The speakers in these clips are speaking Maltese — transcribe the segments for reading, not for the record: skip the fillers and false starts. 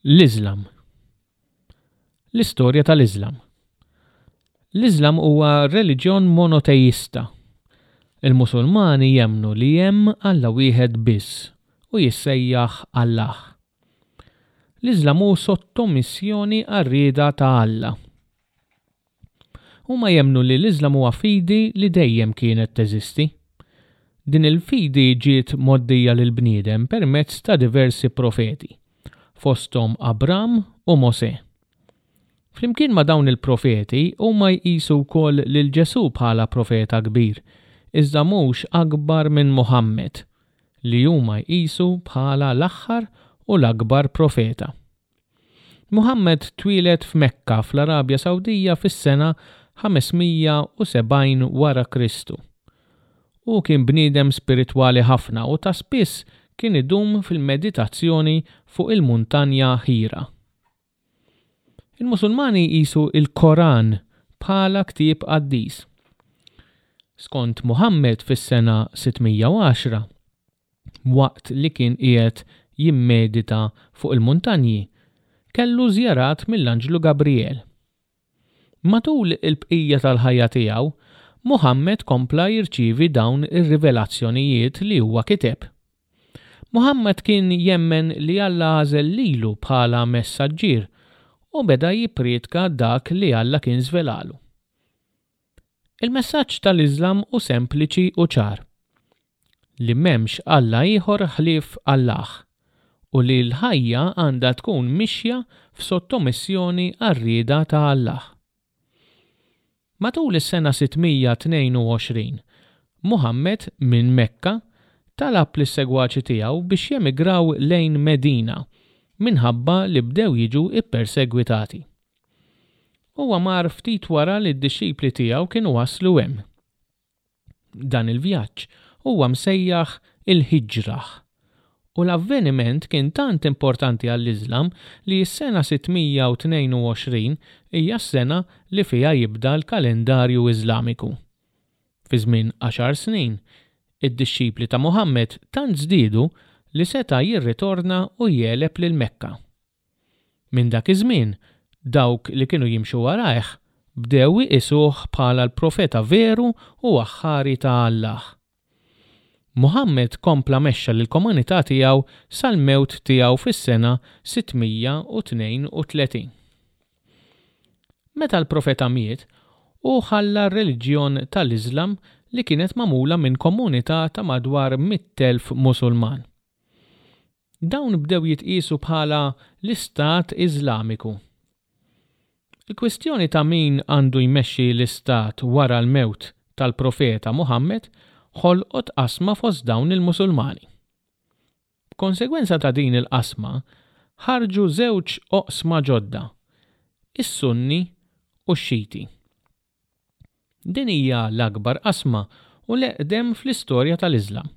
L-Iżlam L-istorja tal-Iżlam L-Iżlam huwa reliġjon monoteista. Il-Musulmani jemmnu li hemm Alla wieħed biss u jissejjaħ Allah. L-Iżlam hu sottomissjoni għar-rieda ta' Alla. Huma jemmnu li l-Iżlam huwa fidi li dejjem kienet teżisti. Din il-fidi ġiet mgħoddija lill-bniedem permezz ta' diversi profeti, fosthom Abram u Mosè. Flimkien ma' dawn il-profeti huma jqisu wkoll lil Ġesù bħala profeta kbir, iżda mhux akbar minn Muħammed, li huma jqisu bħala l-aħħar u l-akbar profeta. Muħammad twieled f'Mekka fl-Arabja Sawdija fis-sena 570 wara Kristu. Hu kien bniedem spiritwali ħafna u ta' spiss kien idum fil-meditazzjoni fuq il-muntanja Ħira. Il-Musulmani jqisu l-Koran bħala ktieb qaddis. Skont Muħammad fis-sena 610, waqt li kien qiegħed jimmedita fuq il-muntanji, kellu żjarat mill-anġlu Gabrijel. Matul il-bqija tal-ħajja tiegħu, Muħammed kompla jirċievi dawn ir-rivelazzjonijiet li huwa kiteb. Muħammad kien jemmen li Alla għażel lilu bħala messaġġier u beda jipprietka dak li Alla kien żvelalu. Il-messaġġ tal-Iżlam hu sempliċi u ċar. Li m'hemmx Alla ieħor ħlief Allah u li l-ħajja għandha tkun mixja f'sottomissjoni għar-rieda ta' Allah. Matul is-sena 622, Muħammed minn Mekka talab lis-segwaċi tiegħu biex jemigraw lejn Medina minħabba li bdew jiġu ppersegwitati. Huwa mar ftit wara li d-dixxipli tiegħu kienu waslu hemm. Dan il-vjaġġ huwa msejjaħ il-Hijrah, u l-avveniment kien tant importanti għall-Iżlam li s-sena 622 hija s-sena li fiha jibda l-kalendarju Iżlamiku. Fi żmien għaxar snin, id-dixxipli ta' Muħammed tant żdiedu li seta' jirritorna u jegħleb lil Mekka. Minn dak iż-żmien, dawk li kienu jimxu warajh bdew iqisuh bħala l-profeta veru u aħħari ta' Allah. Muħammed kompla mexxa lill-komunità tiegħu sal-mewt tiegħu fis-sena 632. Meta l-profeta miet, hu ħalla r-reliġjon tal-Iżlam li kienet magħmula minn komunità ta' madwar 100,000 Musulman. Dawn bdew jitqiesu bħala l-Istat Iżlamiku. Il-kwistjoni ta' min għandu jmexxi l-istat wara l-mewt tal-Profeta Muħammed ħolqot qasma fost dawn il-Musulmani. B'konsegwenza ta' din il-qasma ħarġu żewġ oqsma ġodda, is-Sunni u x-Xiti. Din hija l-akbar qasma u l-eqdem fl-istorja tal-Iżlam.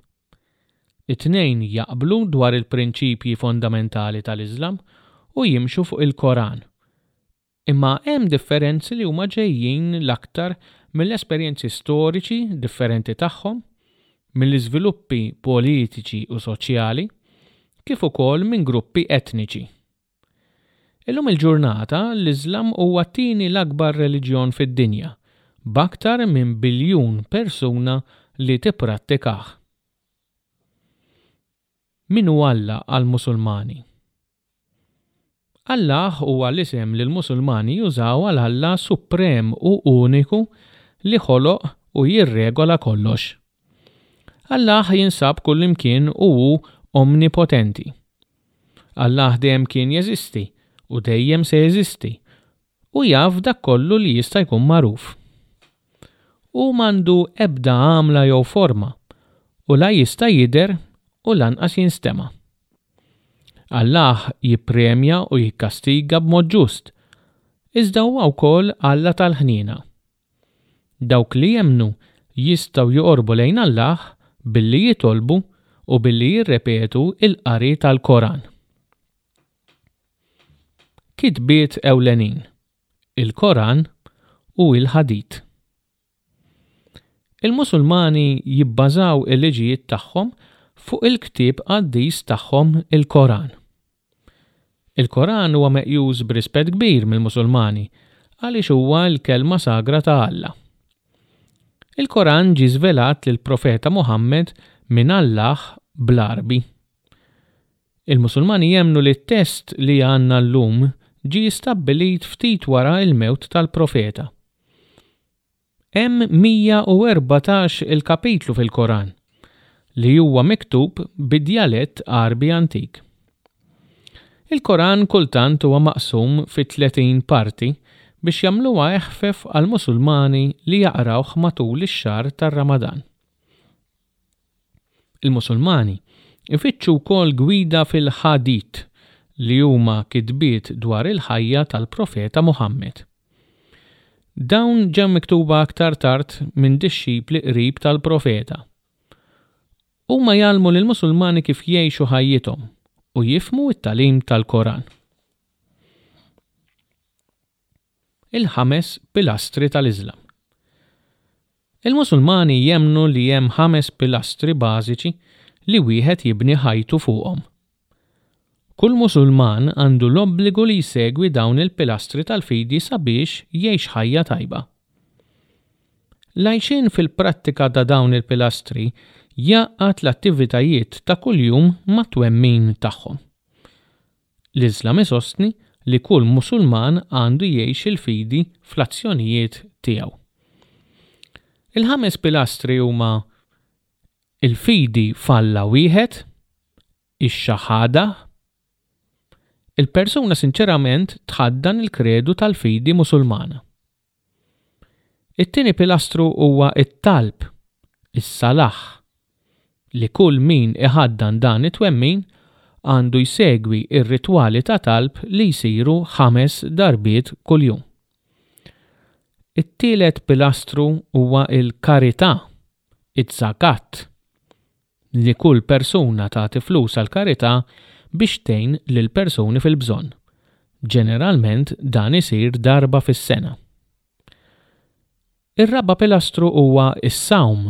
It-tnejn jaqblu dwar il-prinċipji fondamentali tal-Iżlam u jimxu fuq il-Koran. Imma hemm differenzi li huma ġejjin l-aktar mill-esperjenzi storiċi differenti tagħhom, mill-iżviluppi politiċi u soċjali, kif ukoll minn gruppi etniċi. Illum il-ġurnata, l-Iżlam huwa t-tieni l-akbar reliġjon fid-dinja, b'aktar minn biljun persuna li tipprattikah. Min hu Alla għall-Musulmani? Allah huwa l-isem li l-Musulmani jużaw għal Alla suprem u uniku li ħoloq u jirregola kollox. Allah jinsab kullimkien u hu omnipotenti. Allah dejjem kien jeżisti u dejjem se jeżisti u jaf dak kollu li jista' jkun magħruf. Hu m'għandu ebda għamla jew forma u la jista' jidher u lanqas jinstema'. Allah jippremja u jikkastiga b'mod ġust, iżda huwa wkoll Alla tal-ħniena. Dawk li jemmnu jistgħu joqorbu lejn Allah billi jitolbu u billi jirrepetu l-qari tal-Koran. Kitbiet ewlenin, Il-Koran u il-Ħadit. Il-Musulmani jibbażaw il-liġijiet tagħhom fuq il-ktieb qaddis tagħhom il-Koran. Il-Koran huwa meqjus b'rispett kbir mill-Musulmani għaliex huwa l-kelma sagra ta' Alla. Il-Koran ġie żvelat lill-Profeta Muħammed minn Allah bl-Għarbi. Il-Musulmani jemmnu li t-test li għandna llum ġie stabbilit ftit wara l-mewt tal-Profeta. Hemm 114 il-kapitlu fil-Koran, li huwa miktub bi djalett Għarbi antik. Il-Koran kultant huwa maqsum fi 30 parti biex jagħmluha eħfef għall-Musulmani li jaqrawh matul ix-xahar tar-Ramadan. Il-Musulmani jfittxu wkoll gwida fil-Ħadit, li huma kitbiet dwar il-ħajja tal-Profeta Muħammed. Dawn ġew miktuba aktar tard minn dixxipli qrib tal-Profeta. Huma jgħallmu lill-Musulmani kif jgħixu ħajjithom u jifhmu t-tagħlim tal-Koran. Il-ħames pilastri tal-Iżlam. Il-Musulmani jemmnu li hemm ħames pilastri bażiċi li wieħed jibni ħajtu fuqhom. Kull Musulman għandu l-obbligu li jsegwi dawn il-pilastri tal-fidi sabiex jgħix ħajja tajba. L-għajxien fil-prattika ta' dawn il-pilastri jgħaqqad l-attivitajiet ta' kuljum mat-twemmin tagħhom. L-Iżlam isostni li kull Musulman għandu jgħix il-fidi fl-azzjonijiet tiegħu. Il-ħames pilastri huma il-fidi f'Alla wieħed, ix-Shahadah, il-persuna sinċerament tħaddan il-kredu tal-fidi Musulmana. It-tieni pilastru huwa t-talb, is-salah, li kull min iħaddan dan it-twemmin għandu jsegwi r-ritwali ta' talb li jsiru ħames darbiet kuljum. It-tielet pilastru huwa l-karità, iz-zakat, li kull persuna tagħti flus għall-karità biex tgħin lil persuni fil-bżonn. Ġeneralment dan isir darba fis-sena. Ir-raba' pilastru huwa s-sawm.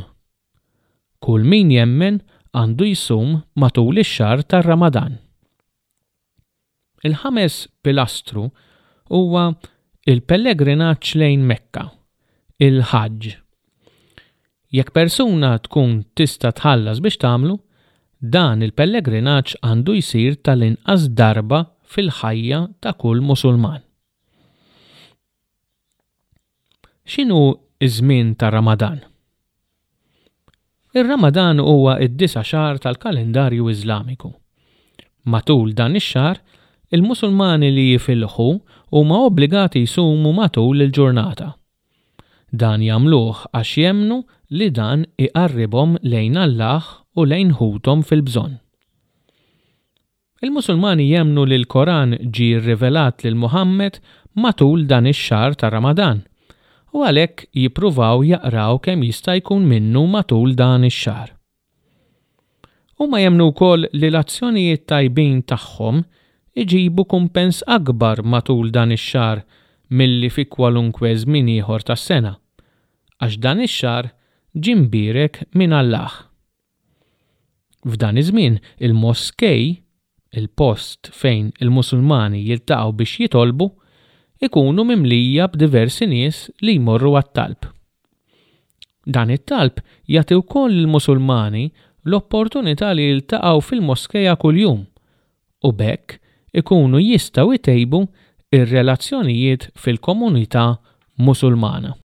Kull min jemmen għandu jsum matul ix-xahar tar-Ramadan. Il-ħames pilastru huwa l-pellegrinaġġ lejn Mekka, il-Ħaġġ. Jekk persuna tkun tista' tħallas biex tagħmlu, dan il-pellegrinaġġ għandu jsir tal-inqas darba fil-ħajja ta' kull Musulman. X'inhu ż-żmien tar-Ramadan? Ir-Ramadan huwa d-disa' xahar tal-kalendarju Iżlamiku. Matul dan ix-xahar, il-Musulmani li jifilħu huma obbligati jsumu matul il-ġurnata. Dan jagħmluh għax jemmnu li dan iqarribhom lejn Allah u lejn ħuthom fil-bżonn. Il-Musulmani jemmnu li l-Koran ġie rrivelat lil Muħammed matul dan ix-xahar ta' Ramadan u għalhekk jippruvaw jaqraw kemm jista' jkun minnu matul dan ix-xahar. Huma jemmnu wkoll li l-azzjonijiet tajbin tagħhom iġibu kumpens akbar matul dan ix-xahar milli fi kwalunkwe żmien ieħor tas-sena, għax dan ix-xahar ġie mbierek minn Allah. F'dan iż-żmien, il-moskej, il-post fejn il-Musulmani jiltaqgħu biex jitolbu, ikunu mimlija b'diversi nies li jmorru għat-talb. Dan it-talb jagħti wkoll lill-Musulmani l-opportunità li jiltaqgħu fil-moskeja kuljum u b'hekk ikunu jistgħu jtejbu r-relazzjonijiet fil-komunità Musulmana.